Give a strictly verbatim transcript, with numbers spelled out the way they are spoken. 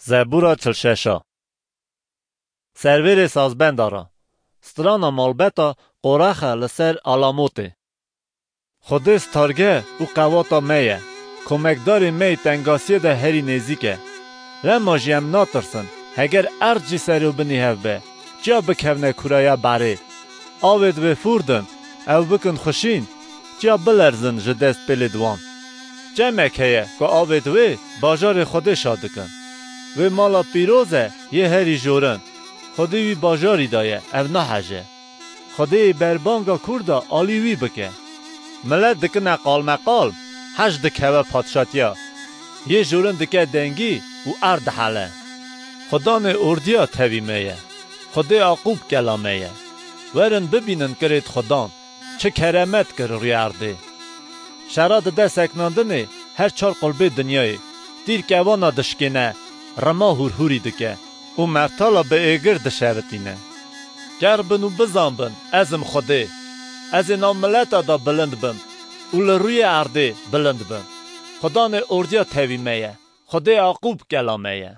Zebûra çil şeş a. Servêrê sazbenda ra. Strana malbeta Qorexa li ser Alamotê. Xwedê stargeh û qewata me ye. Komekdarê me yê tengasiyê de herî nêzîk e. Lema jî em natirsin, heger erd jî serûbinî hev be, çiya bikevne kuraya berê? Avêd wê fûr din, ew bikin xuşîn, çiya bilerzin ji dest pêlê di wan. Çemek heye ku avêd wê bajarê Xwedê şa dikin. Wê mala pîroz e yê herî jorin. Xwedê wî bajarî daye, ev naheje. Xwedê yê berbanga kûr da alî wî bike. Milet dikine qalmeqal, hej dikeve padşatiya. Yê jorin dike dengî û erd dihele. Xudanê ordiya tevî me ye. Xwedê Aqûb kela me ye. Werin bibînin kirêt Xudan, çi keremet kir rûyê erdê. Şera dide seknandinê her çar qulbê dinyayê. Tîr kevana dişkêne, rima hûrhûrî dike û mertala bi êgir dişevitîne. Ker bin û bizan bin, ez im Xwedê. Ez ê nav mileta de bilind bim û li rûyê erdê bilind bim. Xudanê ordiya tevî me ye. Xwedê Aqûb kela me ye.